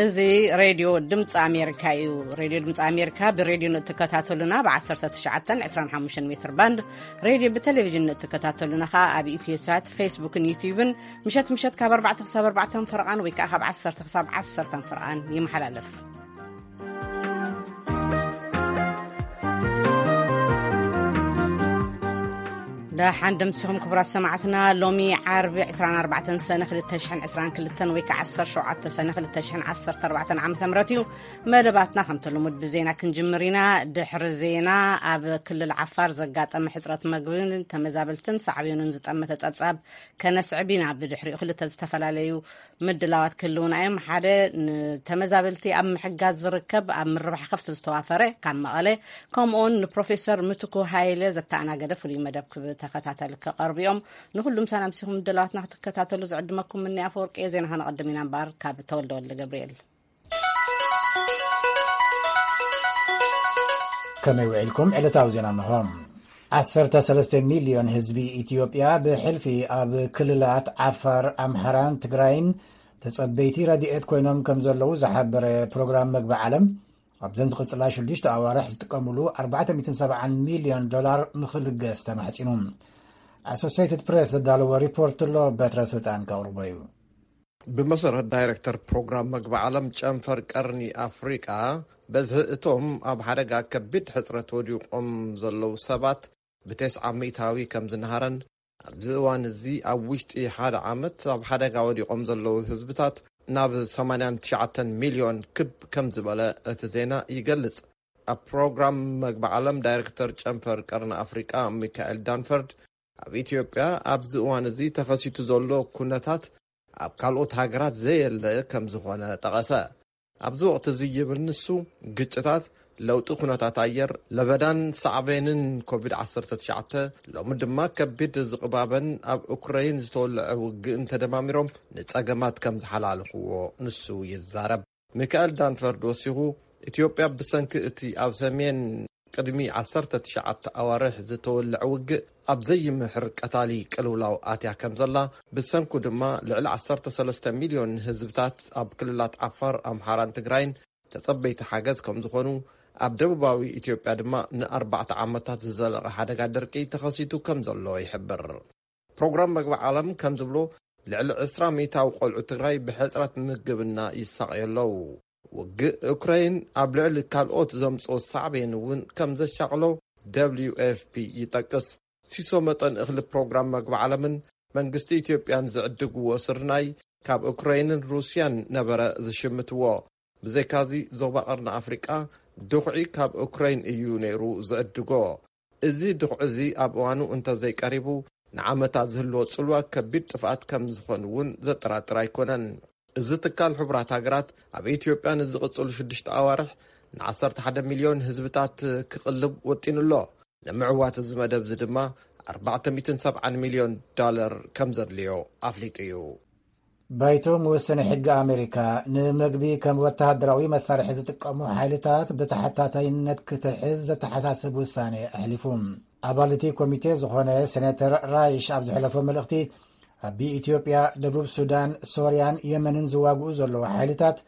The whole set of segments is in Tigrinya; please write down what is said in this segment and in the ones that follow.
እዚ ሬድዮ ድምፂ ኣሜሪካ እዩ። ሬድዮ ድምፂ ኣሜሪካ ብሬድዮ ንእትከታተሉና ብ ዓሰርተ ትሽዓተን ዕስራን ሓሙሽተን ሜትር ባንድ፣ ሬድዮ ብቴሌቪዥን ንእትከታተሉና ኸዓ ኣብ ኢትዮሳት፣ ፌስቡክን ዩትዩብን ምሸት ምሸት ካብ ኣርባዕተ ክሳብ ኣርባዕተ ፈረቓን ወይ ከዓ ካብ ዓሰርተ ክሳብ ዓሰርተ ፈረቓን ይመሓላለፍ። ደሓን ደምሲኹም ክቡራት ሰማዕትና። ሎሚ ዓርቢ ዕስራን ኣርባዕተን ሰነ ክልተ ሽሕን ዕስራን ክልተን ወይ ከዓ ዓሰርተ ሸውዓተ ሰነ ክልተ ሽሕን ዓሰርተ ኣርባዕተን ዓመተ ምህረት እዩ። መደባትና ከምቲ ልሙድ ብዜና ክንጅምር ኢና። ድሕሪ ዜና ኣብ ክልል ዓፋር ዘጋጠመ ሕፅረት መግብን ተመዛበልትን ሳዕቤኑን ዝጠመተ ፀብፃብ ከነስዕብ ኢና። ብድሕሪኡ ክልተ ዝተፈላለዩ ምድላዋት ክህልውና እዮም። ሓደ ንተመዛበልቲ ኣብ ምሕጋዝ ዝርከብ ኣብ ምርባሕ ከፍቲ ዝተዋፈረ ካብ መቐለ፣ ከምኡውን ንፕሮፌሰር ምትኩ ሃይለ ዘተኣናገደ ፍሉይ መደብ ክብ-፣ ተኸታተል ክቐርቡ እዮም። ንኹሉም ሰላም ሲኹም ምድላዋትና ክትከታተሉ ዝዕድመኩም ምኒ ኣፈወርቂ እየ። ዜና ከነቐድም ኢና እምበኣር ካብ ተወልደ ወልደ ገብርኤል። ከመይ ውዒልኩም? ዕለታዊ ዜና እንሆ። ዓሰርተ ሰለስተ ሚልዮን ህዝቢ ኢትዮጵያ ብሕልፊ ኣብ ክልላት ዓፋር፣ ኣምሓራን ትግራይን ተጸበይቲ ረድኤት ኮይኖም ከም ዘለዉ ዝሓበረ ፕሮግራም መግቢ ዓለም፣ ኣብዘን ዝቕጽላ ሽዱሽተ ኣዋርሕ ዝጥቀምሉ ኣርባዕተ ሚእትን ሰብዓን ሚልዮን ዶላር ንኽልገስ ተማሕጺኑ። ኣሶሴይትድ ፕሬስ ዘዳለዎ ሪፖርት ኣሎ፣ በትረ ስልጣን ከቕርቦ እዩ። ብመሰረት ዳይሬክተር ፕሮግራም መግቢ ዓለም ጨንፈር ቀርኒ ኣፍሪቃ፣ በዝሒ እቶም ኣብ ሓደጋ ከቢድ ሕጽረት ወዲቖም ዘለዉ ሰባት ብተስዓ ሚእታዊ ከም ዝነሃረን፣ ኣብዚ እዋን እዚ ኣብ ውሽጢ ሓደ ዓመት ኣብ ሓደጋ ወዲቖም ዘለዉ ህዝብታት ናብ ሰማንያን ትሽዓተን ሚልዮን ክብ ከም ዝበለ እቲ ዜና ይገልጽ። ኣብ ፕሮግራም መግቢ ዓለም ዳይሬክተር ጨንፈር ቀርኒ ኣፍሪቃ ሚካኤል ዳንፈርድ፣ ኣብ ኢትዮጵያ ኣብዚ እዋን እዚ ተኸሲቱ ዘሎ ኩነታት ኣብ ካልኦት ሃገራት ዘየለ ከም ዝኾነ ጠቐሰ። ኣብዚ ወቕቲ እዚ ይብል ንሱ፣ ግጭታት፣ ለውጢ ኩነታት ኣየር፣ ለበዳን ሳዕቤንን ኮቪድ ዓሰርተ ትሽዓተ፣ ሎሚ ድማ ከቢድ ዝቕባበን ኣብ ኡክረይን ዝተወልዐ ውግእን ተደማሚሮም ንጸገማት ከም ዝሓላልኽዎ ንሱ ይዛረብ። ሚካኤል ዳንፈርድ ወሲኹ፣ ኢትዮጵያ ብሰንኪ እቲ ኣብ ሰሜን ቅድሚ ዓሰርተ ትሽዓተ ኣዋርሕ ዝተወልዐ ውግእ ኣብ ዘይምሕር ቀታሊ ቅልውላው ኣትያ ከም ዘላ፣ ብሰንኩ ድማ ልዕሊ ዓሰርተ ሰለስተ ሚልዮን ህዝብታት ኣብ ክልላት ዓፋር፣ ኣምሓራን ትግራይን ተጸበይቲ ሓገዝ ከም ዝኾኑ፣ ኣብ ደቡባዊ ኢትዮጵያ ድማ ንኣርባዕተ ዓመታት ዝዘለቐ ሓደጋ ደርቂ ተኸሲቱ ከም ዘሎ ይሕብር። ፕሮግራም መግቢ ዓለም ከም ዝብሎ፣ ልዕሊ ዕስራ ሚእታዊ ቆልዑ ትግራይ ብሕጽረት ምግብና ይሳቐዩ ኣለዉ። ውግእ ኡክራይን ኣብ ልዕሊ ካልኦት ዘምጽኦ ሳዕቤን እውን ከም ዘሻቕሎ ደብልዩ ኤፍ ፒ ይጠቅስ። ሲሶ መጠን እኽሊ ፕሮግራም መግቢ ዓለምን መንግስቲ ኢትዮጵያን ዝዕድግዎ ስርናይ ካብ ኡክራይንን ሩስያን ነበረ ዝሽምትዎ። ብዘይካዚ ዞባ ቀርኒ ኣፍሪቃ ድኹዒ ካብ ኡክራይን እዩ ነይሩ ዝዕድጎ። እዚ ድኹዒ እዚ ኣብ እዋኑ እንተዘይቀሪቡ ንዓመታት ዝህልዎ ጽልዋ ከቢድ ጥፍኣት ከም ዝኾን እውን ዘጠራጥር ኣይኮነን። እዚ ትካል ሕቡራት ሃገራት ኣብ ኢትዮጵያ ንዝቕጽሉ ሽዱሽተ ኣዋርሕ ንዓሰርተ ሓደ ሚልዮን ህዝብታት ክቕልብ ወጢኑ ኣሎ። ንምዕዋት እዚ መደብ እዚ ድማ ኣርባዕተ ሚእትን ሰብዓን ሚልዮን ዶላር ከም ዘድልዮ ኣፍሊጡ እዩ። ባይቶ መወሰኒ ሕጊ ኣሜሪካ፣ ንምግቢ ከም ወተሃደራዊ መሳርሒ ዝጥቀሙ ሓይልታት ብተሓታታይነት ክትሕዝ ዘተሓሳስብ ውሳኔ ኣሕሊፉ። ኣባል እቲ ኮሚቴ ዝኾነ ሴኔተር ራይሽ ኣብ ዘሕለፎ መልእኽቲ፣ ኣብ ኢትዮጵያ፣ ደቡብ ሱዳን፣ ሶርያን የመንን ዝዋግኡ ዘለዉ ሓይልታት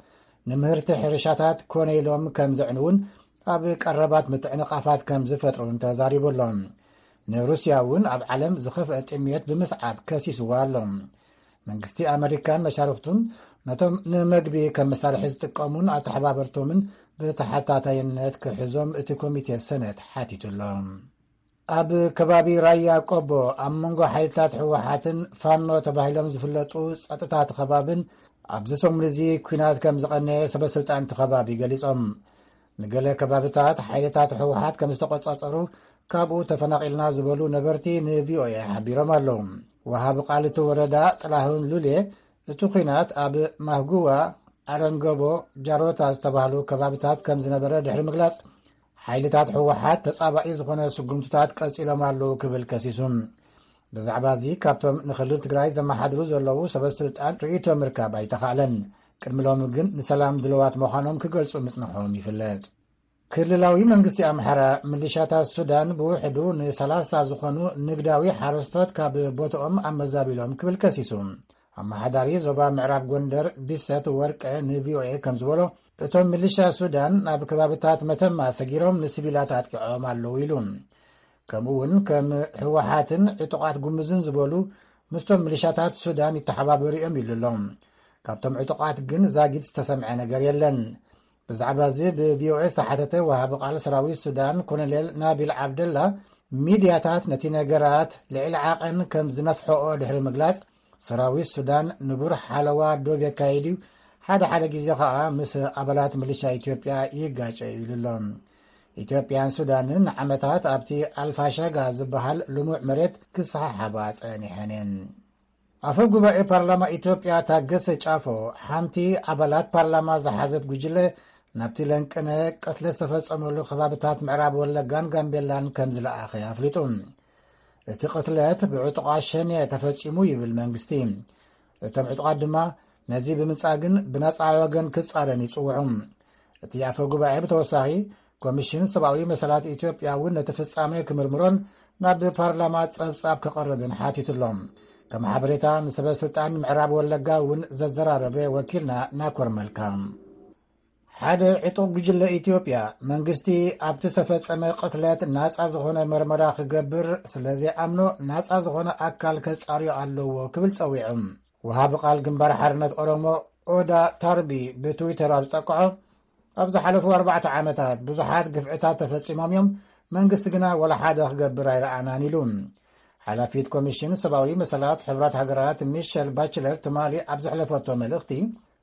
ንምህርቲ ሕርሻታት ኮነ ኢሎም ከም ዘዕንውን ኣብ ቀረባት ምትዕንቓፋት ከም ዝፈጥሩን ተዛሪቡ ኣሎ። ንሩስያ እውን ኣብ ዓለም ዝኸፍአ ጥሜት ብምስዓብ ከሲስዋ ኣሎ። መንግስቲ ኣመሪካን መሻርኽቱን ነቶም ንመግቢ ከም መሳርሒ ዝጥቀሙን ኣተሓባበርቶምን ብተሓታታይነት ክሕዞም እቲ ኮሚቴ ሰነት ሓቲቱ ኣሎ። ኣብ ከባቢ ራያ ቆቦ ኣብ መንጎ ሓይልታት ህወሓትን ፋኖ ተባሂሎም ዝፍለጡ ጸጥታ እቲ ከባብን ኣብዚ ሰሙን እዚ ኲናት ከም ዝቐነየ ሰበ ስልጣን እቲ ከባቢ ገሊጾም። ንገለ ከባብታት ሓይልታት ህወሓት ከም ዝተቆጻጸሩ ካብኡ ተፈናቒልና ዝበሉ ነበርቲ ንቪኦኤ ሓቢሮም ኣለዉ። ወሃቢ ቃል እቲ ወረዳ ጥላሁን ሉሌ እቲ ኲናት ኣብ ማህጉዋ፣ ኣረንገቦ፣ ጃሮታ ዝተባህሉ ከባብታት ከም ዝነበረ ድሕሪ ምግላጽ፣ ሓይልታት ህወሓት ተጻባኢ ዝኾነ ስጉምትታት ቀጺሎም ኣለዉ ክብል ከሲሱ። ብዛዕባ እዚ ካብቶም ንክልል ትግራይ ዘመሓድሩ ዘለዉ ሰበ ስልጣን ርእይቶ ምርካብ ኣይተኻእለን። ቅድሚ ሎሚ ግን ንሰላም ድልዋት ምዃኖም ክገልጹ ምጽንሖም ይፍለጥ። ክልላዊ መንግስቲ ኣምሓራ፣ ምልሻታት ሱዳን ብውሕዱ ንሰላሳ ዝኾኑ ንግዳዊ ሓረስቶት ካብ ቦታኦም ኣመዛቢሎም ክብል ከሲሱ። ኣመሓዳሪ ዞባ ምዕራብ ጎንደር ቢሰት ወርቀ ንቪኦኤ ከም ዝበሎ፣ እቶም ምልሻ ሱዳን ናብ ከባብታት መተማ ሰጊሮም ንሲቪላት ኣጥቂዖም ኣለዉ ኢሉ። ከምኡ እውን ከም ህወሓትን ዕጡቓት ጉምዝን ዝበሉ ምስቶም ምልሻታት ሱዳን ይተሓባበሩ እዮም ኢሉ ኣሎ። ካብቶም ዕጡቓት ግን ዛጊድ ዝተሰምዐ ነገር የለን። ብዛዕባ እዚ ብቪኦኤ ዝተሓተተ ወሃቢ ቃል ሰራዊት ሱዳን ኮሎኔል ናቢል ዓብደላ፣ ሚድያታት ነቲ ነገራት ልዕሊ ዓቐን ከም ዝነፍሐኦ ድሕሪ ምግላጽ፣ ሰራዊት ሱዳን ንቡር ሓለዋ ዶብ የካይድ እዩ፣ ሓደ ሓደ ግዜ ከኣ ምስ ኣባላት ሚሊሻ ኢትዮጵያ ይጋጨ እዩ ኢሉ ኣሎ። ኢትዮጵያን ሱዳንን ንዓመታት ኣብቲ ኣልፋሻጋ ዝበሃል ልሙዕ መሬት ክሰሓሓባ ጸኒሐን እየን። ኣፈ ጉባኤ ፓርላማ ኢትዮጵያ ታገሰ ጫፎ፣ ሓንቲ ኣባላት ፓርላማ ዝሓዘት ጉጅለ ናብቲ ለንቅነ ቅትለት ዝተፈጸመሉ ከባብታት ምዕራብ ወለጋን ጋምቤላን ከም ዝለኣኸ ኣፍሊጡ። እቲ ቅትለት ብዕጡቓት ሸኔ ተፈጺሙ ይብል መንግስቲ። እቶም ዕጡቓት ድማ ነዚ ብምጻግን ብነጻ ወገን ክጻረን ይጽውዑ። እቲ ኣፈ ጉባኤ ብተወሳኺ፣ ኮሚሽን ሰብኣዊ መሰላት ኢትዮጵያ እውን ነቲ ፍጻሜ ክምርምሮን ናብ ፓርላማ ጸብጻብ ከቕርብን ሓቲቱ ኣሎ። ከም ሓበሬታ ንሰበ ስልጣን ምዕራብ ወለጋ እውን ዘዘራረበ ወኪልና ናኮር መልካ። ሓደ ዕጡቕ ጉጅለ ኢትዮጵያ፣ መንግስቲ ኣብቲ ዝተፈጸመ ቅትለት ናጻ ዝኾነ መርመራ ክገብር ስለ ዘይኣምኖ፣ ናጻ ዝኾነ ኣካል ከጻርዮ ኣለዎ ክብል ጸዊዑ። ወሃቢ ቃል ግንባር ሓርነት ኦሮሞ ኦዳ ታርቢ ብትዊተር ኣብ ዝጠቅዖ፣ ኣብ ዝሓለፉ ኣርባዕተ ዓመታት ብዙሓት ግፍዕታት ተፈጺሞም እዮም፣ መንግስቲ ግና ወላ ሓደ ክገብር ኣይረኣናን ኢሉ። ሓላፊት ኮሚሽን ሰብኣዊ መሰላት ሕቡራት ሃገራት ሚሸል ባችለር ትማሊ ኣብ ዘሕለፈቶ መልእኽቲ፣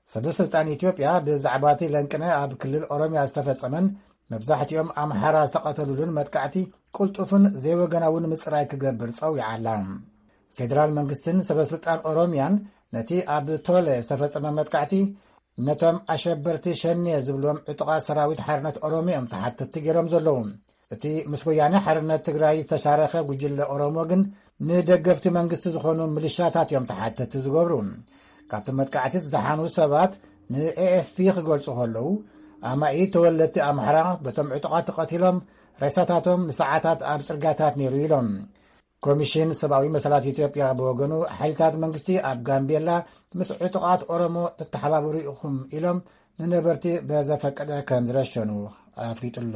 ሰበ ስልጣን ኢትዮጵያ ብዛዕባ እቲ ለንቅነ ኣብ ክልል ኦሮምያ ዝተፈጸመን መብዛሕትኦም ኣምሓራ ዝተቐተሉሉን መጥቃዕቲ ቅልጡፍን ዘይወገናውን ምጽራይ ክገብር ጸዊዓ ኣላ። ፌደራል መንግስትን ሰበ ስልጣን ኦሮምያን ነቲ ኣብ ቶለ ዝተፈጸመ መጥቃዕቲ ነቶም ኣሸበርቲ ሸኔ ዝብሎም ዕጡቓት ሰራዊት ሓርነት ኦሮሞ እዮም ተሓተትቲ ገይሮም ዘለዉ። እቲ ምስ ወያነ ሓርነት ትግራይ ዝተሻረኸ ጉጅለ ኦሮሞ ግን ንደገፍቲ መንግስቲ ዝኾኑ ምልሻታት እዮም ተሓተትቲ ዝገብሩ። ካብቲ መጥቃዕቲ ዝደሓኑ ሰባት ንኤኤፍፒ ክገልጹ ከለዉ፣ ኣማኢት ተወለድቲ ኣምሓራ በቶም ዕጡቓት ተቐቲሎም፣ ሬሳታቶም ንሰዓታት ኣብ ጽርጋታት ነይሩ ኢሎም። ኮሚሽን ሰብኣዊ መሰላት ኢትዮጵያ ብወገኑ፣ ሓይልታት መንግስቲ ኣብ ጋምቤላ ምስ ዕጡቓት ኦሮሞ ትተሓባበሩ ኢኹም ኢሎም ንነበርቲ በዘፈቀደ ከም ዝረሸኑ ኣፍሊጡ ኣሎ።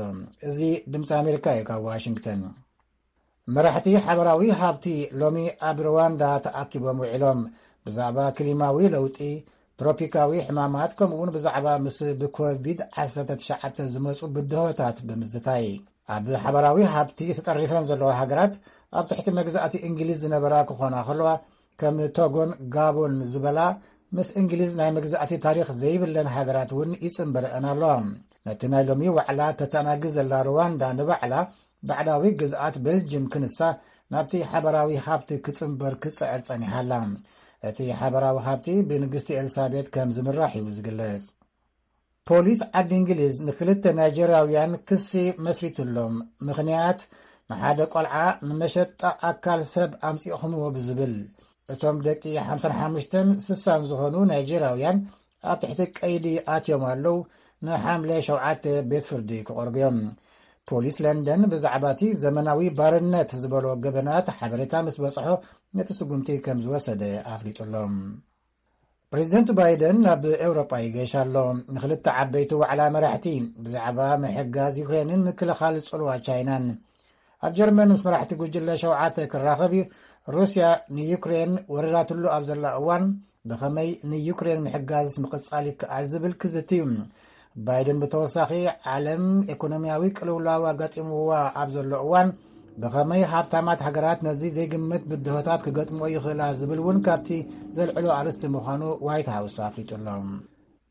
እዚ ድምፂ ኣሜሪካ እዩ ካብ ዋሽንግተን። መራሕቲ ሓበራዊ ሃብቲ ሎሚ ኣብ ሩዋንዳ ተኣኪቦም ውዒሎም። ብዛዕባ ክሊማዊ ለውጢ፣ ትሮፒካዊ ሕማማት፣ ከምኡ እውን ብዛዕባ ምስ ብኮቪድ ዓሰርተ ትሽዓተ ዝመፁ ብድሆታት ብምዝታይ፣ ኣብ ሓበራዊ ሃብቲ ተጠሪፈን ዘለዋ ሃገራት ኣብ ትሕቲ መግዛእቲ እንግሊዝ ዝነበራ ክኾና ከለዋ፣ ከም ቶጎን ጋቦን ዝበላ ምስ እንግሊዝ ናይ መግዛእቲ ታሪኽ ዘይብለን ሃገራት እውን ይጽንበረአን ኣለዋ። ነቲ ናይ ሎሚ ዋዕላ ተተኣናግድ ዘላ ሩዋንዳ፣ ንባዕላ ባዕዳዊ ግዝኣት ቤልጅም ክንሳ ናብቲ ሓበራዊ ሃብቲ ክጽንበር ክጽዕር ጸኒሓ ኣላ። እቲ ሓበራዊ ሃብቲ ብንግስቲ ኤልሳቤጥ ከም ዝምራሕ እዩ ዝግለጽ። ፖሊስ ዓዲ እንግሊዝ ንክልተ ናይጀርያውያን ክሲ መስሪቱሎም። ምኽንያት፣ ንሓደ ቆልዓ ንመሸጣ ኣካል ሰብ ኣምጺእኹምዎ ብዝብል። እቶም ደቂ ሓምሳን ሓሙሽተን ስሳን ዝኾኑ ናይጀርያውያን ኣብ ትሕቲ ቀይዲ ኣትዮም ኣለዉ። ንሓምለ ሸውዓተ ቤት ፍርዲ ክቐርቡ እዮም። ፖሊስ ለንደን ብዛዕባ እቲ ዘመናዊ ባርነት ዝበሎ ገበናት ሓበሬታ ምስ በጽሖ፣ ነቲ ስጉምቲ ከም ዝወሰደ ኣፍሊጡ ኣሎ። ፕሬዚደንት ባይደን ናብ ኤውሮጳ ይገሽ ኣሎ። ንክልተ ዓበይቲ ዋዕላ መራሕቲ ብዛዕባ ምሕጋዝ ዩክሬንን ምክልኻል ጽልዋ ቻይናን። ኣብ ጀርመን ምስ መራሕቲ ጉጅለ ሸውዓተ ክራኸብ እዩ። ሩስያ ንዩክሬን ወሪራትሉ ኣብ ዘላ እዋን ብኸመይ ንዩክሬን ምሕጋዝ ምቕጻል ይከኣል ዝብል ክዝቲ እዩ። ባይደን ብተወሳኺ፣ ዓለም ኢኮኖሚያዊ ቅልውላው ኣጋጢምዋ ኣብ ዘሎ እዋን፣ ብኸመይ ሃብታማት ሃገራት ነዚ ዘይግመት ብድሆታት ክገጥምኦ ይኽእላ ዝብል እውን ካብቲ ዘልዕሎ ኣርእስቲ ምዃኑ ዋይት ሃውስ ኣፍሊጡ ኣሎ።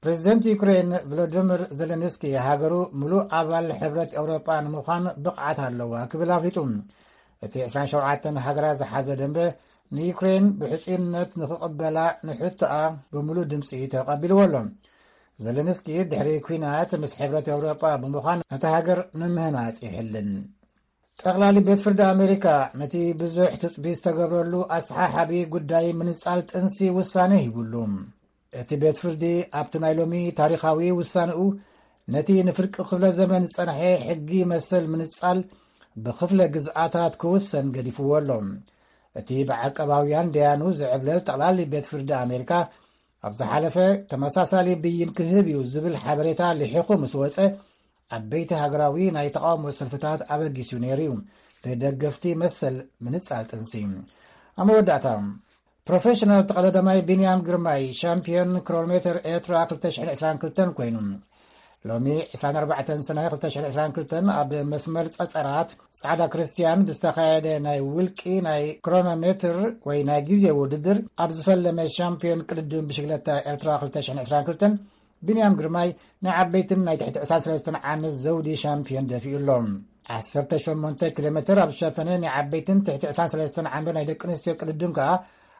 ፕሬዚደንት ዩክሬን ቮሎዲሚር ዜሌንስኪ፣ ሃገሩ ምሉእ ኣባል ሕብረት ኤውሮጳ ንምዃን ብቕዓት ኣለዋ ክብል ኣፍሊጡ። እቲ ዕስራን ሸውዓተን ሃገራት ዝሓዘ ደንበ፣ ንዩክሬን ብሕጹይነት ንኽቕበላ ንሕቶኣ ብምሉእ ድምጺ ተቐቢልዎ ኣሎ። ዜሌንስኪ፣ ድሕሪ ኲናት ምስ ሕብረት ኤውሮጳ ብምዃን ነታ ሃገር ንምህናጽ ይሕልን። ጠቕላሊ ቤት ፍርዲ ኣሜሪካ ነቲ ብዙሕ ትጽቢት ዝተገብረሉ ኣሰሓሓቢ ጉዳይ ምንጻል ጥንሲ ውሳነ ሂቡሉ። እቲ ቤት ፍርዲ ኣብቲ ናይ ሎሚ ታሪኻዊ ውሳንኡ፣ ነቲ ንፍርቂ ክፍለ ዘመን ዝጸንሐ ሕጊ መሰል ምንጻል ብክፍለ ግዝኣታት ክውሰን ገዲፍዎ ኣሎ። እቲ ብዓቀባውያን ደያኑ ዝዕብለል ጠቕላሊ ቤት ፍርዲ ኣሜሪካ፣ ኣብ ዝሓለፈ ተመሳሳሊ ብይን ክህብ እዩ ዝብል ሓበሬታ ልሒኹ ምስ ወጸ፣ ዓበይቲ ሃገራዊ ናይ ተቓውሞ ሰልፍታት ኣበጊሱ ነይሩ እዩ፣ ብደገፍቲ መሰል ምንጻል ጥንሲ። ኣብ መወዳእታ፣ ፕሮፌሽናል ተቐዳዳማይ ቢንያም ግርማይ፣ ሻምፒዮን ክሮኖሜተር ኤርትራ ክልተ ሽሕን ዕስራን ክልተን ኮይኑ፣ ሎሚ ዕስራን ኣርባዕተን ሰነ ክልተ ሽሕን ዕስራን ክልተን ኣብ መስመር ጸጸራት ጻዕዳ ክርስትያን ብዝተኻየደ ናይ ውልቂ ናይ ክሮኖሜትር ወይ ናይ ግዜ ውድድር፣ ኣብ ዝፈለመ ሻምፒዮን ቅድድም ብሽግለታ ኤርትራ ክልተ ሽሕን ዕስራን ክልተን፣ ቢንያም ግርማይ ናይ ዓበይትን ናይ ትሕቲ ዕስራን ሰለስተን ዓመት ዘውዲ ሻምፒዮን ደፊኡ ኣሎ። ዓሰርተ ሸሞንተ ኪሎ ሜትር ኣብ ዝሸፈነ ናይ ዓበይትን ትሕቲ ዕስራን ሰለስተን ዓመት ናይ ደቂ ኣንስትዮ ቅድድም ከኣ፣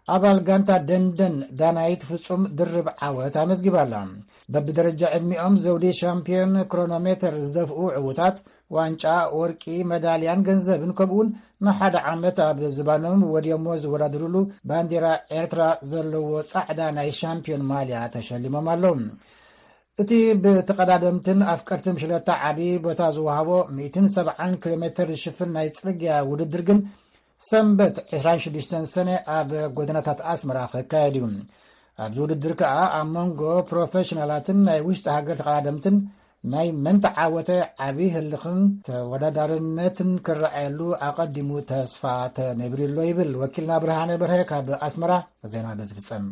ኣባል ጋንታ ደንደን ዳናይት ፍጹም ድርብ ዓወት ኣመዝጊባ ኣላ። በብደረጃ ዕድሚኦም ዘውዲ ሻምፒዮን ክሮኖሜተር ዝደፍኡ ዕዉታት፣ ዋንጫ፣ ወርቂ፣ መዳልያን ገንዘብን፣ ከምኡውን ንሓደ ዓመት ኣብ ዝባኖም ወድዮሞ ዝወዳደሩሉ ባንዲራ ኤርትራ ዘለዎ ጻዕዳ ናይ ሻምፒዮን ማልያ ተሸሊሞም ኣለዉ። እቲ ብተቐዳደምትን ኣፍቀርትን ሽለታ ዓቢ ቦታ ዝወሃቦ ሚእትን ሰብዓን ኪሎ ሜትር ዝሽፍን ናይ ጽርግያ ውድድር ግን፣ ሰንበት ዕስራን ሽዱሽተን ሰነ ኣብ ጎደናታት ኣስመራ ክካየድ እዩ። ኣብዚ ውድድር ከኣ ኣብ መንጎ ፕሮፌሽናላትን ናይ ውሽጢ ሃገር ተቐዳደምትን ናይ መን ተዓወተ ዓቢ ህልኽን ተወዳዳርነትን ክረኣየሉ ኣቐዲሙ ተስፋ ተነቢሩ ኣሎ ይብል ወኪልና ብርሃነ በርሀ ካብ ኣስመራ። ዜና በዚ ፍጸም።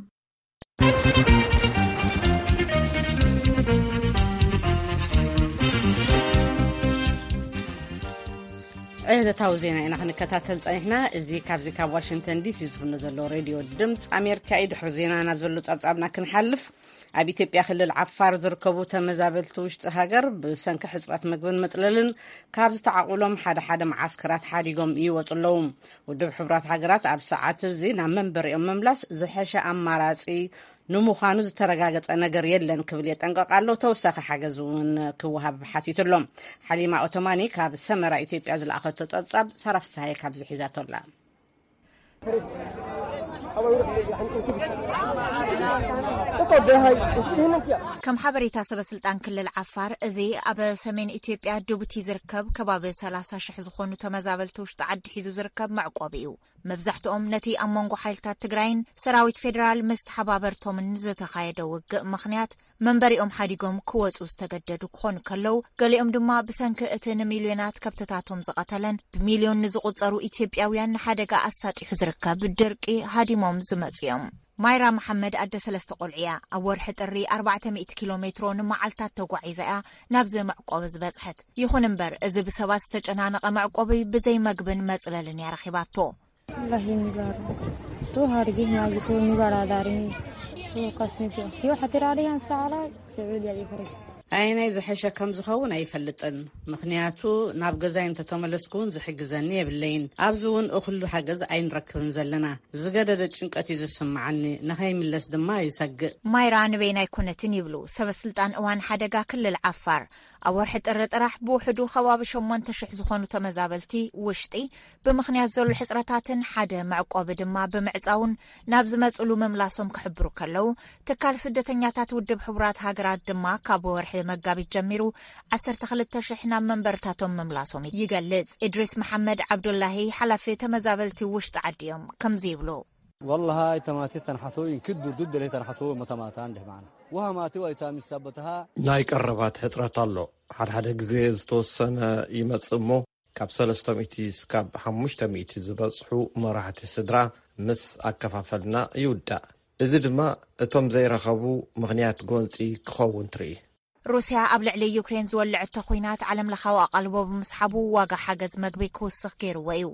ዕለታዊ ዜና ኢና ክንከታተል ጸኒሕና። እዚ ካብዚ ካብ ዋሽንግተን ዲሲ ዝፍኖ ዘሎ ሬድዮ ድምፂ ኣሜሪካ እዩ። ድሕሪ ዜና ናብ ዘሎ ጸብጻብና ክንሓልፍ፣ ኣብ ኢትዮጵያ ክልል ዓፋር ዝርከቡ ተመዛበልቲ ውሽጢ ሃገር ብሰንኪ ሕፅረት ምግብን መፅለልን ካብ ዝተዓቑሎም ሓደ ሓደ መዓስከራት ሓዲጎም ይወፁ ኣለዉ። ውድብ ሕቡራት ሃገራት ኣብ ሰዓት እዚ ናብ መንበሪኦም ምምላስ ዝሐሸ ኣማራፂ ንምዃኑ ዝተረጋገፀ ነገር የለን ክብል የጠንቀቕ ኣሎ። ተወሳኺ ሓገዝ እውን ክወሃብ ሓቲቱ ኣሎ። ሓሊማ ኦቶማኒ ካብ ሰመራ ኢትዮጵያ ዝለኣኸቶ ጸብጻብ ሳራ ፍስሃየ ካብዚ ሒዛቶ ኣላ። ከም ሓበሬታ ሰበ ስልጣን ክልል ዓፋር፣ እዚ ኣብ ሰሜን ኢትዮጵያ ዱቡቲ ዝርከብ ከባቢ ሰላሳ ሽሕ ዝኾኑ ተመዛበልቲ ውሽጢ ዓዲ ሒዙ ዝርከብ መዕቆቢ እዩ። መብዛሕትኦም ነቲ ኣብ መንጎ ሓይልታት ትግራይን ሰራዊት ፌዴራል ምስ ተሓባበርቶምን ዝተኻየደ ውግእ ምኽንያት መንበሪኦም ሓዲጎም ክወፁ ዝተገደዱ ክኾኑ ከለዉ፣ ገሊኦም ድማ ብሰንኪ እቲ ንሚልዮናት ከብትታቶም ዝቐተለን ብሚልዮን ንዝቑጸሩ ኢትዮጵያውያን ንሓደጋ ኣሳጢሑ ዝርከብ ድርቂ ሃዲሞም ዝመፁ እዮም። ማይራ መሓመድ ኣደ ሰለስተ ቆልዑ እያ። ኣብ ወርሒ ጥሪ ኣርባዕተ ሚእቲ ኪሎ ሜትሮ ንመዓልታት ተጓዒዛ እያ ናብዚ መዕቆቢ ዝበጽሐት። ይኹን እምበር፣ እዚ ብሰባት ዝተጨናነቐ መዕቆቢ ብዘይ መግብን መጽለልን እያ ረኺባቶ። الله ينبار. تو هارجي ما جتو نبار داري. تو قسمي جو. يو حتى رادي أنسى على سعودي الإفريقي. ኣየናይ ዝሐሸ ከም ዝኸውን ኣይፈልጥን፣ ምኽንያቱ ናብ ገዛይ እንተተመለስኩ እውን ዝሕግዘኒ የብለይን። ኣብዚ እውን እኹሉ ሓገዝ ኣይንረክብን ዘለና። ዝገደደ ጭንቀት እዩ ዝስምዓኒ፣ ንኸይምለስ ድማ ይሰግእ። ማይራ ንበይና ኣይኮነትን ይብሉ ሰበ ስልጣን እዋን ሓደጋ ክልል ዓፋር። ኣብ ወርሒ ጥሪ ጥራሕ ብውሕዱ ከባቢ ሸሞንተ ሽሕ ዝኾኑ ተመዛበልቲ ውሽጢ ብምኽንያት ዘሎ ሕፅረታትን ሓደ መዕቆቢ ድማ ብምዕፃውን ናብ ዝመፅሉ ምምላሶም ክሕብሩ ከለዉ፣ ትካል ስደተኛታት ውድብ ሕቡራት ሃገራት ድማ ካብ ወርሒ መጋቢት ጀሚሩ ዓሰርተ ክልተ ሽሕ ናብ መንበርታቶም ምምላሶም ይገልጽ። ኢድሪስ መሓመድ ዓብዱላሂ ሓላፊ ተመዛበልቲ ውሽጢ ዓዲ እዮም። ከምዚ ይብሉ። والله هاي تماتي تنحتو ينكدوا ضد اللي تنحتو متماتا عندي معنا. وها ماتي ويتامي سبتها. ናይ ቀረባት ሕፅረት ኣሎ። ሓደ ሓደ ግዜ ዝተወሰነ ይመጽእ እሞ፣ ካብ ሰለስተ ሚእቲ እስካብ ሓሙሽተ ሚእቲ ዝበጽሑ መራሕቲ ስድራ ምስ ኣከፋፈልና ይውዳእ። እዚ ድማ እቶም ዘይረኸቡ ምኽንያት ጎንጺ ክኸውን ትርኢ። ሩስያ ኣብ ልዕሊ ዩክሬን ዝወለዐቶ ኲናት ዓለም ለኻዊ ኣቓልቦ ብምስሓቡ ዋጋ ሓገዝ መግቢ ክውስኽ ገይርዎ እዩ።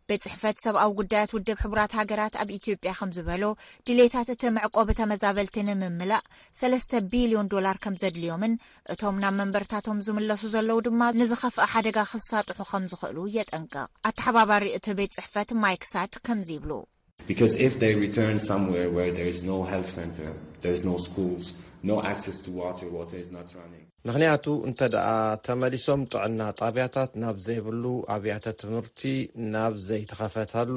ቤት ጽሕፈት ሰብኣዊ ጉዳያት ውድብ ሕቡራት ሃገራት ኣብ ኢትዮጵያ ከም ዝበሎ፣ ድሌታት እቲ መዕቆቢ ተመዛበልቲ ንምምላእ ሰለስተ ቢልዮን ዶላር ከም ዘድልዮምን እቶም ናብ መንበርታቶም ዝምለሱ ዘለዉ ድማ ንዝኸፍአ ሓደጋ ክሳጥሑ ከም ዝኽእሉ የጠንቅቕ። ኣተሓባባሪ እቲ ቤት ጽሕፈት ማይክ ሳድ ከምዚ ይብሉ። Because if they return somewhere where there is no health center, there is no schools, no access to water, water is not running. ምኽንያቱ እንተ ደኣ ተመሊሶም ጥዕና ጣብያታት ናብ ዘይብሉ፣ ኣብያተ ትምህርቲ ናብ ዘይተኸፈተሉ፣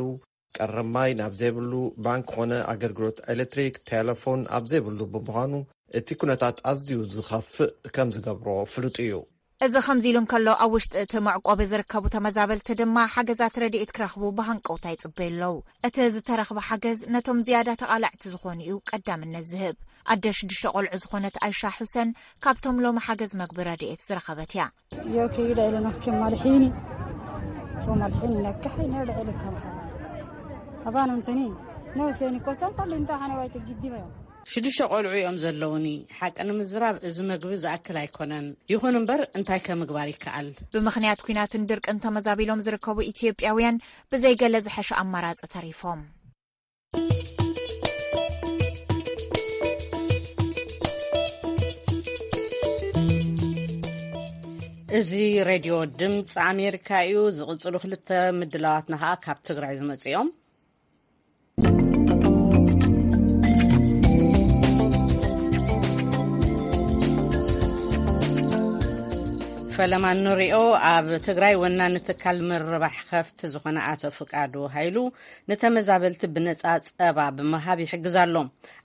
ቀረብ ማይ ናብ ዘይብሉ፣ ባንክ ኾነ ኣገልግሎት ኤሌክትሪክ፣ ቴሌፎን ኣብ ዘይብሉ ብምዃኑ፣ እቲ ኩነታት ኣዝዩ ዝኸፍእ ከም ዝገብሮ ፍሉጥ እዩ። እዚ ከምዚ ኢሉ እንከሎ፣ ኣብ ውሽጢ እቲ መዕቆቢ ዝርከቡ ተመዛበልቲ ድማ ሓገዛት ረድኤት ክረኽቡ ብሃንቀውታ ይጽበዩ ኣለዉ። እቲ ዝተረኽበ ሓገዝ ነቶም ዝያዳ ተቓላዕቲ ዝኾኑ እዩ ቀዳምነት ዝህብ። ኣደ ሽዱሽተ ቆልዑ ዝኾነት ኣይሻ ሑሰን ካብቶም ሎሚ ሓገዝ መግቢ ረድኤት ዝረኸበት እያ። Io che io le non che malhini, to malhini la cahi ne le le kama. Abana antani, no se ni kosan pa linta hana wai te giddi ba. ሽዱሽተ ቆልዑ እዮም ዘለውኒ። ሓቂ ንምዝራብ እዚ መግቢ ዝኣክል ኣይኮነን። ይኹን እምበር እንታይ ከምግባር ይከኣል? ብምኽንያት ኲናትን ድርቅን ተመዛቢሎም ዝርከቡ ኢትዮጵያውያን ብዘይገለ ዝሐሸ ኣማራጺ ተሪፎም። እዚ ሬድዮ ድምፂ ኣሜሪካ እዩ። ዝቕፅሉ ክልተ ምድላዋትና ከዓ ካብ ትግራይ ዝመፁ እዮም። ፈለማ ንሪኦ፣ ኣብ ትግራይ ወናኒ ትካል ምርባሕ ከፍቲ ዝኾነ ኣቶ ፍቃዱ ሃይሉ ንተመዛበልቲ ብነፃ ፀባ ብምሃብ ይሕግዝ ኣሎ።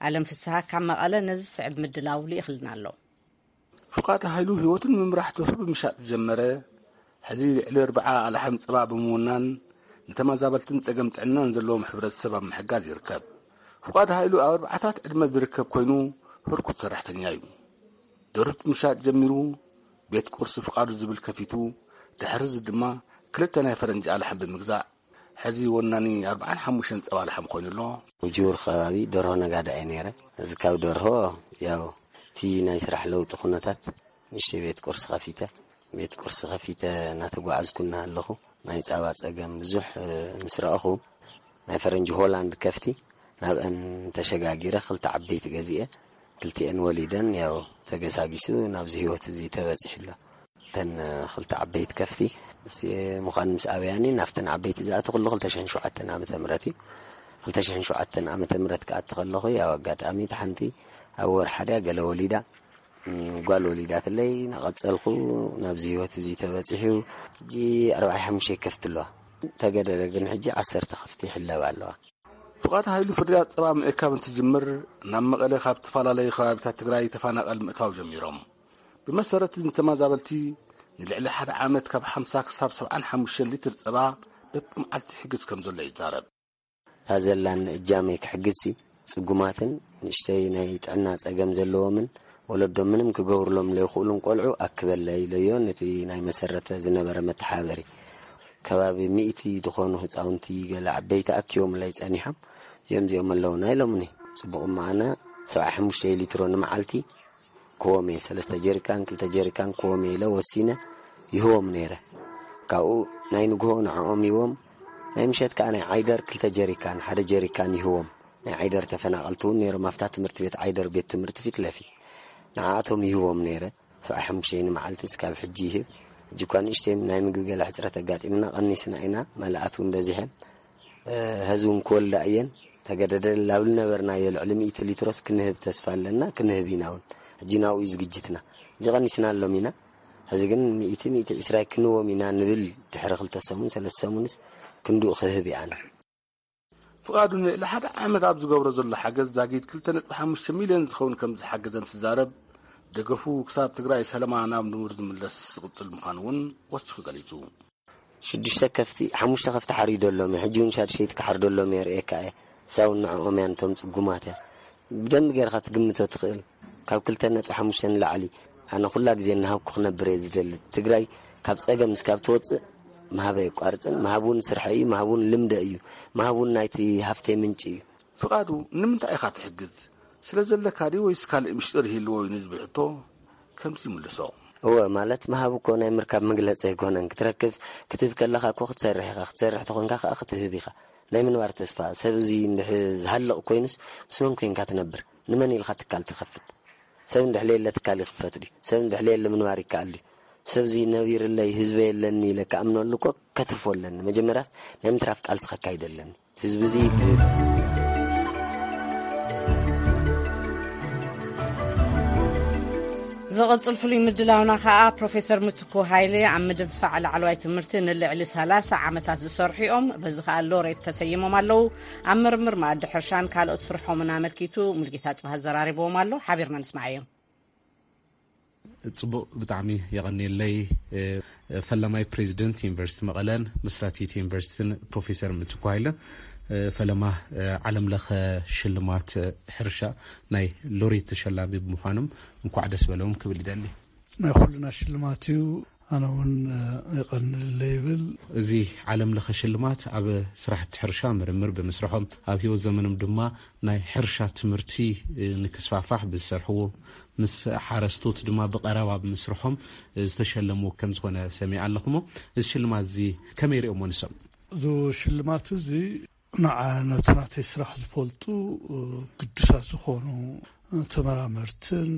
ኣለም ፍስሃ ካብ መቐለ ነዚ ስዕብ ምድላው ልኢኽልና ኣሎ። ፍቃድ ሃይሉ ህይወቱ ንምምራሕ ተርፉ ብምሻጥ ዝጀመረ፣ ሕዚ ልዕሊ ኣርብዓ ኣላሕም ጸባ ብምውናን ንተመዛበልትን ጸገም ጥዕናን ዘለዎም ሕብረተሰብ ኣብ ምሕጋዝ ይርከብ። ፍቃድ ሃይሉ ኣብ ኣርባዓታት ዕድመ ዝርከብ ኮይኑ፣ ህርኩት ሰራሕተኛ እዩ። ደርሁት ምሻጥ ጀሚሩ፣ ቤት ቁርሲ ፍቃዱ ዝብል ከፊቱ፣ ድሕሪ እዚ ድማ ክልተ ናይ ፈረንጂ ኣላሕም ብምግዛእ፣ ሕዚ ወናኒ ኣርብዓን ሓሙሽተን ጸባ ኣላሕም ኮይኑ ኣሎ። ውጅውር ከባቢ ደርሆ ነጋዳ እየ ነይረ። እዚ ካብ ደርሆ ያው እቲ ናይ ስራሕ ለውጢ ኩነታት ንእሽተይ ቤት ቁርሲ ከፊተ፣ ቤት ቁርሲ ከፊተ እናተጓዓዝኩ እናሃለኹ ናይ ጸባ ጸገም ብዙሕ፣ እ፣ ምስ ረኣኹ ናይ ፈረንጂ ሆላንድ ከፍቲ ናብአን ተሸጋጊረ ክልተ ዓበይቲ ገዚኤ ክልቲኤን ወሊደን ያው ተገሳጊሱ ናብዚ ህይወት እዚ ተበጺሑ ኣሎ። እተን ክልተ ዓበይቲ ከፍቲ፣ ምስ፣ ምዃን ምስ ኣበያኒ ናብተን ዓበይቲ ዝኣተኹሉ ክልተ ሽሕን ሸውዓተን ዓመተ ምህረት እዩ። ክልተ ሽሕን ሸውዓተን ዓመተ ምህረት ክኣቲ ከለኹ፣ ያው ኣጋጣሚ እታ ሓንቲ ኣብ ወርሓ ድያ ገለ ወሊዳ፣ እም፣ ጓል ወሊዳትለይ፣ ናቐጸልኩ ናብዚ ህይወት እዚ ተበጺሑ። ሕጂ ኣርባዓ ሓሙሽተ ከፍቲ ኣለዋ። ተገደደ ግን ሕጂ ዓሰርተ ከፍቲ ይሕለባ ኣለዋ። ፍቓድ ሃይሉ ፍርያት ጸባ ምእካብ እንትጅምር፣ ናብ መቐለ ካብ ዝተፈላለዩ ከባቢታት ትግራይ ተፈናቐል ምእታው ጀሚሮም። ብመሰረት ንተመዛበልቲ ንልዕሊ ሓደ ዓመት ካብ ሓምሳ ክሳብ ሰብዓን ሓሙሽተን ሊትር ጸባ በብመዓልቲ ይሕግዝ ከም ዘሎ ይዛረብ። እታ ዘላኒ እጃመይ ክሕግዝሲ፣ ጽጉማትን ንእሽተይ ናይ ጥዕና ጸገም ዘለዎምን ወለዶም ምንም ክገብርሎም ለይኽእሉን ቆልዑ ኣክበለይ ኢለዮ ነቲ ናይ መሰረተ ዝነበረ መተሓበሪ። ከባቢ ሚእቲ ዝኾኑ ህጻውንቲ ገለ ዓበይቲ ኣኪቦምለይ ጸኒሖም። እዚኦም እዚኦም ኣለውና ኢሎምኒ። ጽቡቕ እሞ ኣነ ሰብዓ ሓሙሽተ ሊትሮ ንመዓልቲ ክህቦም እየ። ሰለስተ ጀሪካን፣ ክልተ ጀሪካን ክህቦም እየ ኢለ ወሲነ ይህቦም ነይረ። ካብኡ ናይ ንግሆ ንዕኦም ይህቦም፣ ናይ ምሸት ከኣ ናይ ዓይደር ክልተ ጀሪካን፣ ሓደ ጀሪካን ይህቦም። ናይ ዓይደር ተፈናቐልቲ እውን ነይሮም፣ ኣብታ ትምህርቲ ቤት ዓይደር ቤት ትምህርቲ ፊት ለፊት ንዓኣቶም ይህቦም ነይረ። ሰብዓ ሓሙሽተ ንመዓልቲ እስካብ ሕጂ ይህብ። ሕጂ እኳ ንእሽተይ ናይ ምግቢ ገለ ሕጽረት ኣጋጢምና ቀኒስና ኢና፣ መላኣት እውን በዚሐን። እ፣ ሕዚ እውን ክወልዳ እየን። ተገደደን ላብል ነበርናዮ ልዕሊ ሚእቲ ሊትሮስ ክንህብ ተስፋ ኣለና፣ ክንህብ ኢና እውን። ሕጂ ናብኡ እዩ ዝግጅትና። ሕጂ ቀኒስና ኣሎም ኢና። ሕዚ ግን ሚእቲ፣ ሚእቲ ዕስራ ክንዎም ኢና ንብል። ድሕሪ ክልተ ሰሙን፣ ሰለስተ ሰሙንስ ክንድኡ ክህብ እየ ኣነ። ፍቓዱ ንልዕሊ ሓደ ዓመት ኣብ ዝገብሮ ዘሎ ሓገዝ ዛጊድ ክልተ ነጥቢ ሓሙሽተ ሚልዮን ዝኸውን ከም ዝሓገዘ እንትዛረብ፣ ደገፉ ክሳብ ትግራይ ሰለማ ናብ ንቡር ዝምለስ ዝቕጽል ምዃኑ እውን ወሲኹ ገሊጹ። ሽዱሽተ ከፍቲ፣ ሓሙሽተ ከፍቲ ሓሪዶ ኣሎም፣ ሕጂ እውን ሻድሸይቲ ክሓርዶ ኣሎም የርእየካ እየ። ሳውን ንዕኦም እያ፣ ነቶም ጽጉማት እያ። ብደንቢ ጌርካ ትግምቶ ትኽእል። ካብ ክልተ ነጥቢ ሓሙሽተ ንላዕሊ። ኣነ ኩላ ግዜ እናሃብኩ ክነብር እየ ዝደሊ። ትግራይ ካብ ጸገም እስካብ ትወጽእ ምሃብ ኣየቋርጽን። ምሃብ እውን ስርሐ እዩ፣ ምሃብ እውን ልምደ እዩ፣ ምሃብ እውን ናይቲ ሃፍተይ ምንጪ እዩ። ፍቓዱ፣ ንምንታይ ኢኻ ትሕግዝ? ስለ ዘለካ ድዩ ወይስ ካልእ ምሽጥር ይህልዎ እዩ ንዝብል ሕቶ ከምዚ ይምልሶ። እወ፣ ማለት ምሃብ እኮ ናይ ምርካብ መግለጺ ኣይኮነን። ክትረክብ፣ ክትህብ ከለኻ እኮ ክትሰርሕ ኢኻ። ክትሰርሕ ተኾንካ ከኣ ክትህብ ኢኻ። ናይ ምንባር ተስፋ፣ ሰብ እዚ እንድሕ ዝሃልቕ ኮይኑስ ምስ መን ኮይንካ ትነብር? ንመን ኢልካ ትካል ትኸፍት? ሰብ እንድሕ ለየለ ትካል ይኽፈት ድዩ? ሰብ እንድሕ ለየለ ምንባር ይከኣል ድዩ? ሰብ እዚ ነቢርለይ ህዝበይ የለኒ ኢለ ክኣምነሉ እኮ ከትርፎ ኣለኒ። መጀመርያስ ናይ ምትራፍ ቃልሲ ከካይድ ኣለኒ። ህዝቢ እዚ ብ- ዝቕጽል ፍሉይ ምድላውና ከኣ ፕሮፌሰር ምትኩ ሃይለ ኣብ ምድንፋዕ ላዕለዋይ ትምህርቲ ንልዕሊ ሰላሳ ዓመታት ዝሰርሑ እዮም። በዚ ከኣ ሎሬት ተሰይሞም ኣለዉ። ኣብ ምርምር መኣዲ ሕርሻን ካልኦት ስርሖምን ኣመልኪቱ ሙልጌታ ጽባህ ኣዘራሪብዎም ኣሎ። ሓቢርና ንስማዓዮም። ጽቡቕ፣ ብጣዕሚ የቐንየለይ። ፈላማይ ፕሬዚደንት ዩኒቨርሲቲ መቐለን መስራቲት ዩኒቨርሲቲን ፕሮፌሰር ምትኩ ሃይለ፣ ፈለማ ዓለም ለኸ ሽልማት ሕርሻ ናይ ሎሬት ተሸላሚ ብምዃኖም እንኳዕ ደስ በለዎም ክብል ይደሊ። ናይ ኩልና ሽልማት እዩ። ኣነ እውን የቐንለይ ይብል። እዚ ዓለም ለኸ ሽልማት ኣብ ስራሕቲ ሕርሻ ምርምር ብምስርሖም፣ ኣብ ህይወት ዘመኖም ድማ ናይ ሕርሻ ትምህርቲ ንክስፋሕፋሕ ብዝሰርሕዎ፣ ምስ ሓረስቶት ድማ ብቐረባ ብምስርሖም ዝተሸለሙ ከም ዝኾነ ሰሚዐ ኣለኹ። እሞ እዚ ሽልማት እዚ ከመይ ሪኦሞ ንሶም? እዚ ሽልማት እዚ ንዓ ነቲ ናተይ ስራሕ ዝፈልጡ ግዱሳት ዝኾኑ ተመራመርትን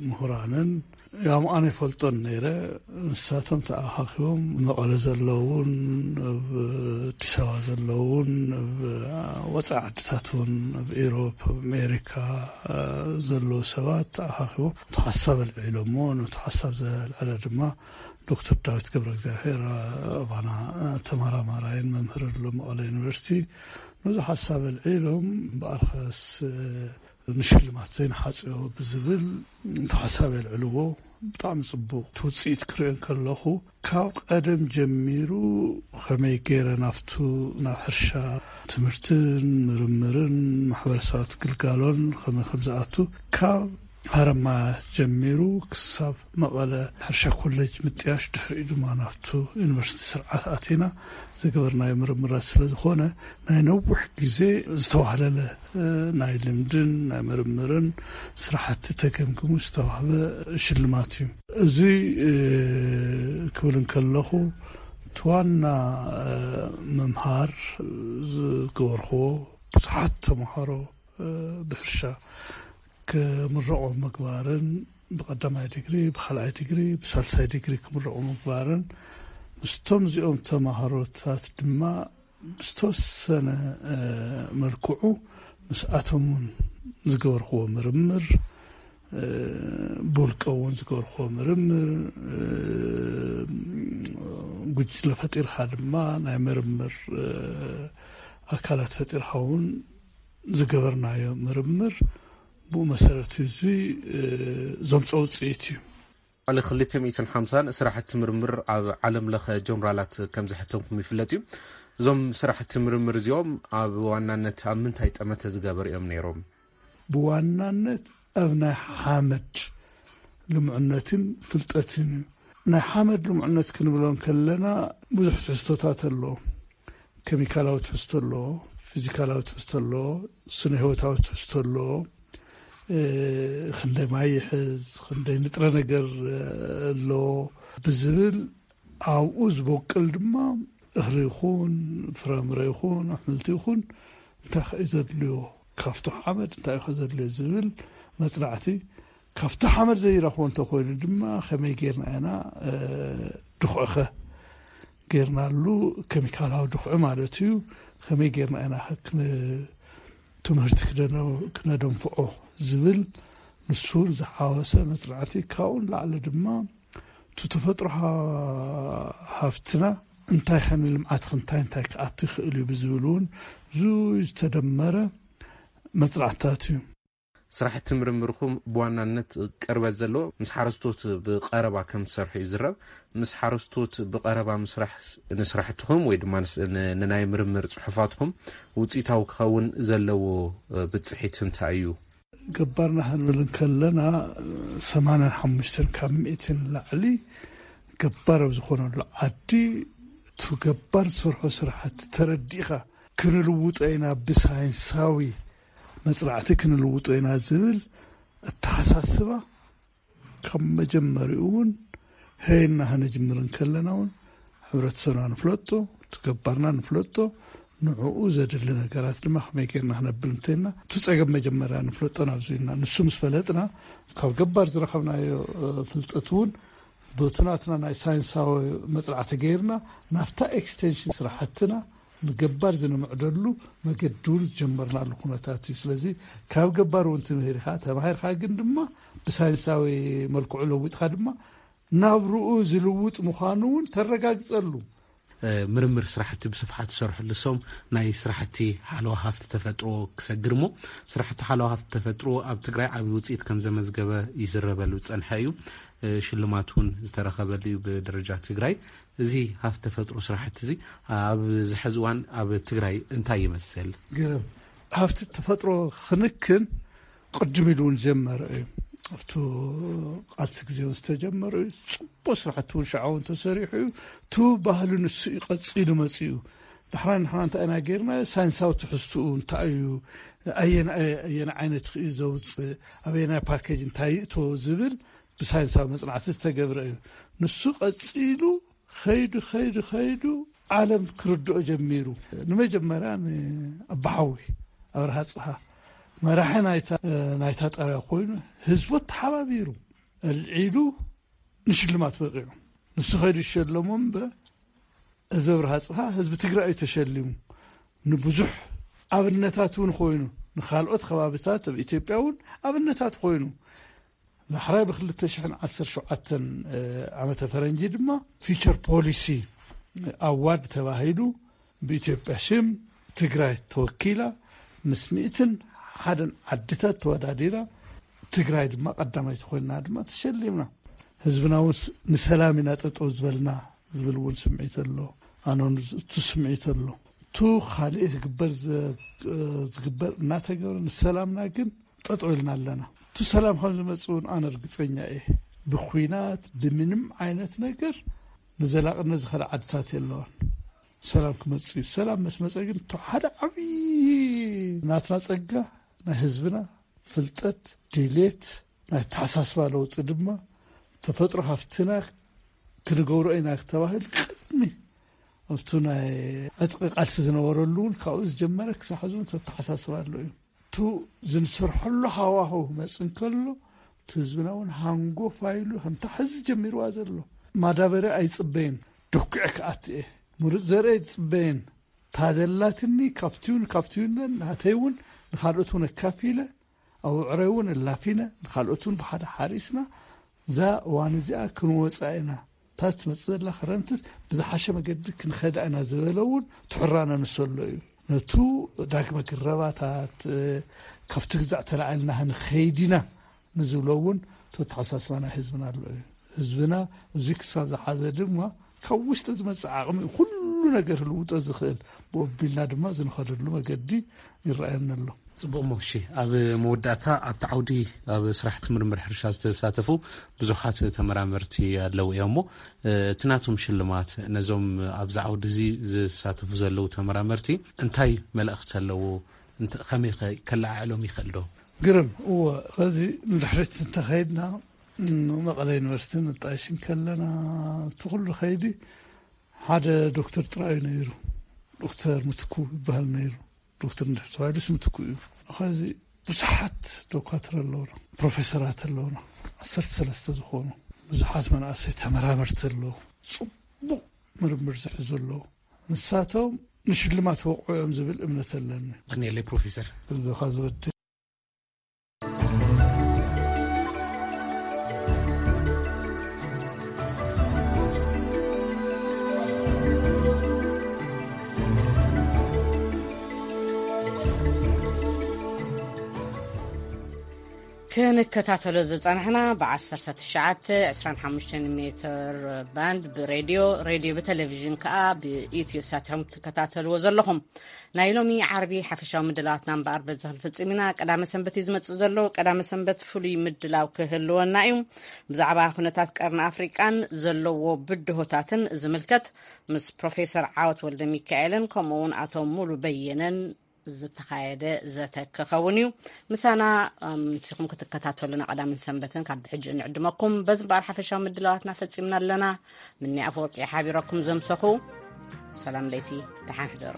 ምሁራንን፣ ያም ኣነ ይፈልጦን ነይረ። ንሳቶም ተኣኻኺቦም መቐለ ዘለውን፣ ኣብ ኣዲስ ኣበባ ዘለውን፣ ኣብ ወፃኢ ዓድታት እውን፣ ኣብ ኤሮፕ፣ ኣብ ኣሜሪካ ዘለዉ ሰባት ተኣኻኺቦም ነቲ ሓሳብ ኣልዒሎሞ። ነቲ ሓሳብ ዘልዐለ ድማ ዶክተር ዳዊት ገብረ እግዚኣብሔር፣ ኣባና ተመራማራይን መምህርን ኣሎ መቐለ ዩኒቨርሲቲ፣ ነዚ ሓሳብ ኣልዒሎም፣ እምበኣርከስ ንሽልማት ዘይንሓጽዮ ብዝብል እቲ ሓሳብ የልዕልዎ። ብጣዕሚ ጽቡቕ። እቲ ውጽኢት ክርእዮ እንከለኹ፣ ካብ ቀደም ጀሚሩ ከመይ ገይረ ናብቱ፣ ናብ ሕርሻ፣ ትምህርትን ምርምርን ማሕበረሰባት ግልጋሎን ከመይ ከም ዝኣቱ፣ ካብ ሃረማያ ጀሚሩ ክሳብ መቐለ ሕርሻ ኮሌጅ ምጥያሽ፣ ድሕሪኡ ድማ ናብቱ ዩኒቨርሲቲ ስርዓት ኣቲና ዝገበርናዮ ምርምራት ስለ ዝኾነ፣ ናይ ነዊሕ ግዜ ዝተዋህለለ ናይ ልምድን ናይ ምርምርን ስራሕቲ ተገምግሙ ዝተዋህበ ሽልማት እዩ። እዚ ክብል እንከለኹ፣ እቲ ዋና ምምሃር ዝገበርክዎ፣ ብዙሓት ተምሃሮ ብሕርሻ ክምረቑ ምግባርን፣ ብቐዳማይ ዲግሪ፣ ብኻልኣይ ዲግሪ፣ ብሳልሳይ ዲግሪ ክምረቑ ምግባርን፣ ምስቶም እዚኦም ተማሃሮታት ድማ ብዝተወሰነ መልክዑ ምስኣቶም እውን ዝገበርክዎ ምርምር፣ ብውልቀ እውን ዝገበርክዎ ምርምር፣ ጉጅለ ፈጢርካ ድማ ናይ ምርምር ኣካላት ፈጢርካ እውን ዝገበርናዮ ምርምር ብኡ መሰረት እዚ ዘምፅኦ ውፅኢት እዩ። ልዕሊ ክልተ ሚእትን ሓምሳን ስራሕቲ ምርምር ኣብ ዓለም ለኸ ጆርናላት ከም ዘሕተምኩም ይፍለጥ እዩ። እዞም ስራሕቲ ምርምር እዚኦም ኣብ ዋናነት ኣብ ምንታይ ጠመተ ዝገበሩ እዮም ነይሮም? ብዋናነት ኣብ ናይ ሓመድ ልምዕነትን ፍልጠትን እዩ። ናይ ሓመድ ልምዕነት ክንብሎ እንከለና ብዙሕ ትሕዝቶታት ኣለዎ። ኬሚካላዊ ትሕዝቶ ኣለዎ፣ ፊዚካላዊ ትሕዝቶ ኣለዎ፣ ስነ ህይወታዊ ትሕዝቶ ኣለዎ። ክንደይ ማይ ይሕዝ፣ ክንደይ ንጥረ ነገር ኣለዎ ብዝብል፣ ኣብኡ ዝበቁል ድማ እኽሊ ይኹን ፍረምረ ይኹን ኣሕምልቲ ይኹን እንታይ ከ ዘድልዮ፣ ካብቲ ሓመድ እንታይ ከ ዘድልዮ ዝብል መፅናዕቲ፣ ካብቲ ሓመድ ዘይረኽቦ እንተኮይኑ ድማ ከመይ ጌርና ኢና ድኹዕኸ ጌርናሉ፣ ኬሚካላዊ ድኹዒ ማለት እዩ። ከመይ ጌርና ኢና ትምህርቲ ክነደንፍዖ ዝብል ንሱን ዝሓወሰ መፅናዕቲ፣ ካብኡን ላዕሊ ድማ እቲ ተፈጥሮ ሃፍትና እንታይ ከ ንልምዓት ክንታይ እንታይ ክኣቱ ይኽእል እዩ ብዝብል እውን ብዙይ ዝተደመረ መፅናዕትታት እዩ። ስራሕቲ ምርምርኩም ብዋናነት ቅርበት ዘለዎ ምስ ሓረስቶት ብቐረባ ከም ትሰርሑ ይዝረብ። ምስ ሓረስቶት ብቐረባ ምስራሕ ንስራሕትኹም ወይ ድማ ንናይ ምርምር ፅሑፋትኩም ውፅኢታዊ ክኸውን ዘለዎ ብፅሒት እንታይ እዩ? ገባርና ክንብል እንከለና፣ ሰማንያን ሓሙሽተን ካብ ሚእትን ላዕሊ ገባር ኣብ ዝኾነሉ ዓዲ እቲ ገባር ዝሰርሖ ስራሕቲ ተረዲእኻ ክንልውጦ ኢና፣ ብሳይንሳዊ መፅናዕቲ ክንልውጦ ኢና ዝብል ኣተሓሳስባ ካብ መጀመሪኡ እውን ሀይና ከነጅምር እንከለና እውን ሕብረተሰብና ንፍለጦ፣ እቲ ገባርና ንፍለጦ፣ ንዕኡ ዘድሊ ነገራት ድማ ከመይ ጌርና ክነብል እንተልና፣ እቲ ጸገም መጀመርያ ንፍለጦ ናብዚ ኢልና። ንሱ ምስ ፈለጥና፣ ካብ ገባር ዝረኸብናዮ ፍልጠት እውን በቲ ናትና ናይ ሳይንሳዊ መጽናዕቲ ጌርና ናብታ ኤክስቴንሽን ስራሕትና ንገባር ዝንምዕደሉ መገዲ እውን ዝጀመርናሉ ኩነታት እዩ። ስለዚ ካብ ገባር እውን ትምህር ኢኻ፣ ተማሂርካ ግን ድማ ብሳይንሳዊ መልክዑ ለዊጥካ ድማ ናብርኡ ዝልውጥ ምዃኑ እውን ተረጋግጸሉ። ምርምር ስራሕቲ ብስፍሓት ዝሰርሑ ልሶም ናይ ስራሕቲ ሓለዋ ሃፍቲ ተፈጥሮ ክሰግር እሞ፣ ስራሕቲ ሓለዋ ሃፍቲ ተፈጥሮ ኣብ ትግራይ ዓብዪ ውፅኢት ከም ዘመዝገበ ይዝረበሉ ዝፀንሐ እዩ። ሽልማት እውን ዝተረኸበሉ እዩ ብደረጃ ትግራይ። እዚ ሃፍቲ ተፈጥሮ ስራሕቲ እዚ ኣብ ዝሐዚ እዋን ኣብ ትግራይ እንታይ ይመስል? ግርም። ሃፍቲ ተፈጥሮ ክንክን ቅድም ኢሉ እውን ዝጀመረ እዩ። ኣብቲ ቃልሲ ግዜ እውን ዝተጀመረ እዩ። ፅቡቅ ስራሕቲ እውን ሽዓ እውን ተሰሪሑ እዩ። እቲ ባህሊ ንሱ እዩ ቀፂሉ መፂኡ። ዳሕራይ ንሕና እንታይ ኢና ገይርና? ሳይንሳዊ ትሕዝትኡ እንታይ እዩ? ኣየን ኣየን ዓይነት እዩ ዘውፅእ? ኣበየናይ ፓኬጅ እንታይ ይእቶ ዝብል ብሳይንሳዊ መፅናዕቲ ዝተገብረ እዩ። ንሱ ቀፂሉ ከይዱ ከይዱ ከይዱ ዓለም ክርድኦ ጀሚሩ። ንመጀመርያ ንኣባሓዊ ኣብርሃ ፅሃ መራሒ ናይታ ናይታ ጣብያ ኮይኑ ህዝቡ ተሓባቢሩ ኣልዒሉ ንሽልማት በቂዑ። ንሱ ከይዱ ዝሸለሞ እምበር እዚ ኣብርሃ ፅሃ ህዝቢ ትግራይ እዩ ተሸሊሙ። ንብዙሕ ኣብነታት እውን ኮይኑ ንካልኦት ከባቢታት ኣብ ኢትዮጵያ እውን ኣብነታት ኮይኑ ዳሕራይ ብ ክልተ ሽሕን ዓሰርተ ሸውዓተን ዓመተ ፈረንጂ ድማ ፊቸር ፖሊሲ ኣዋርድ ተባሂሉ ብኢትዮጵያ ሽም ትግራይ ተወኪላ ምስ ሚእትን ሓደን ዓድታት ተወዳዲራ ትግራይ ድማ ቀዳማይቲ ኮይና ድማ ተሸሊምና። ህዝብና እውን ንሰላም ኢና ጠጠው ዝበልና ዝብል እውን ስምዒት ኣሎ። ኣነ እውን እቱ ስምዒት ኣሎ። እቱ ካልእ ዝግበር ዝግበር እናተገብረ ንሰላምና ግን ጠጠው ኢልና ኣለና። እቱ ሰላም ከም ዝመፅእ እውን ኣነ ርግፀኛ እየ። ብኩናት ብምንም ዓይነት ነገር ንዘላቕነት ዝኸደ ዓድታት የለዋን። ሰላም ክመፅእ እዩ። ሰላም ምስ መፀ ግን እቱ ሓደ ዓብዪ ናትና ፀጋ ናይ ህዝብና ፍልጠት ድሌት ናይ ኣተሓሳስባ ለውጢ ድማ ተፈጥሮ ሃፍትና ክንገብሮ ኢና ተባሂሉ ቅድሚ ኣብቱ ናይ ዕጥቂ ቃልሲ ዝነበረሉ እውን ካብኡ ዝጀመረ ክሳብ ሕዚ እውን ተተሓሳስባ ኣሎ እዩ። እቱ ዝንሰርሐሉ ሃዋህው ክመፅእ እንከሎ እቲ ህዝብና እውን ሃንጎፋ ኢሉ ከምታ ሕዚ ጀሚርዋ ዘሎ ማዳበርያ ኣይፅበይን ደኩዐ ክኣትየ ምሩፅ ዘርኢ ኣይፅበይን እታ ዘላትኒ ካብቲ እውን ካብቲ እውን ናተይ እውን ንካልኦት እውን ኣካፊለ ኣብ ውዕረይ እውን ኣላፊነ ንካልኦት እውን ብሓደ ሓሪስና እዛ እዋን እዚኣ ክንወፃ ኢና እታ ትመፅእ ዘላ ክረምትስ ብዝሓሸ መገዲ ክንኸዳ ኢና ዝበለ እውን ትሕራነ ንሰሎ እዩ ነቱ ዳግመ ግረባታት ካብቲ ግዛዕ ተላዒልና ክንኸይድ ኢና ንዝብሎ እውን ተተሓሳስባ ናይ ህዝብና ኣሎ እዩ ህዝብና እዚ ክሳብ ዝሓዘ ድማ ካብ ውሽጢ ዝመፅእ ዓቕሚ ኩሉ ነገር ህልውጦ ዝኽእል ብኦቢልና ድማ ዝንኸደሉ መገዲ ይረኣየኒ ኣሎ ፅቡቕ ሞሺ ኣብ መወዳእታ ኣብቲ ዓውዲ ኣብ ስራሕቲ ምርምር ሕርሻ ዝተሳተፉ ብዙሓት ተመራመርቲ ኣለዉ እዮም እሞ እቲ ናቶም ሽልማት ነዞም ኣብዚ ዓውዲ እዚ ዝሳተፉ ዘለዉ ተመራመርቲ እንታይ መልእኽቲ ኣለዎ ከመይ ከለዓዕሎም ይኽእል ዶ ግርም እወ ኸዚ ንድሕሪት እንተኸይድና መቐለ ዩኒቨርሲቲ ንጣይሽ እንከለና እቲ ኩሉ ኸይዲ ሓደ ዶክተር ጥራይ እዩ ነይሩ ዶክተር ምትኩ ይበሃል ነይሩ ዶክተር እንድሕር ተባሂሉስ ምትኩ እዩ ኸዚ ብዙሓት ዶኳትር ኣለውና ፕሮፌሰራት ኣለውና ዓሰርተ ሰለስተ ዝኾኑ ብዙሓት መናእሰይ ተመራመርቲ ኣለዉ ፅቡቕ ምርምር ዝሕዙ ኣለዉ ንሳቶም ንሽልማት ወቕዑ እዮም ዝብል እምነት ኣለኒ ቀንየለይ ፕሮፌሰር እዚኻ ዝወዲ ክንከታተሎ ዝጸናሕና ብ19 25 ሜትር ባንድ ብሬድዮ ሬድዮ ብቴሌቪዥን ከኣ ብኢትዮ ሳት ኢኹም ትከታተልዎ ዘለኹም ናይ ሎሚ ዓርቢ ሓፈሻዊ ምድላዋትና እምበኣር በዚ ክንፍጽም ኢና ቀዳመ ሰንበት እዩ ዝመጽእ ዘሎ ቀዳመ ሰንበት ፍሉይ ምድላው ክህልወና እዩ ብዛዕባ ኩነታት ቀርኒ ኣፍሪቃን ዘለዎ ብድሆታትን ዝምልከት ምስ ፕሮፌሰር ዓወት ወልደ ሚካኤልን ከምኡ እውን ኣቶ ሙሉ በየነን ዝተኻየደ ዘተ ክኸውን እዩ ምሳና ምሲኹም ክትከታተሉና ቀዳምን ሰንበትን ካብ ብሕጂ ንዕድመኩም በዚ በኣር ሓፈሻዊ ምድላዋትና ፈጺምና ኣለና ምኒ ኣፈወርቂ ሓቢረኩም ዘምሰኹ ሰላም ለይቲ ደሓን ሕደሩ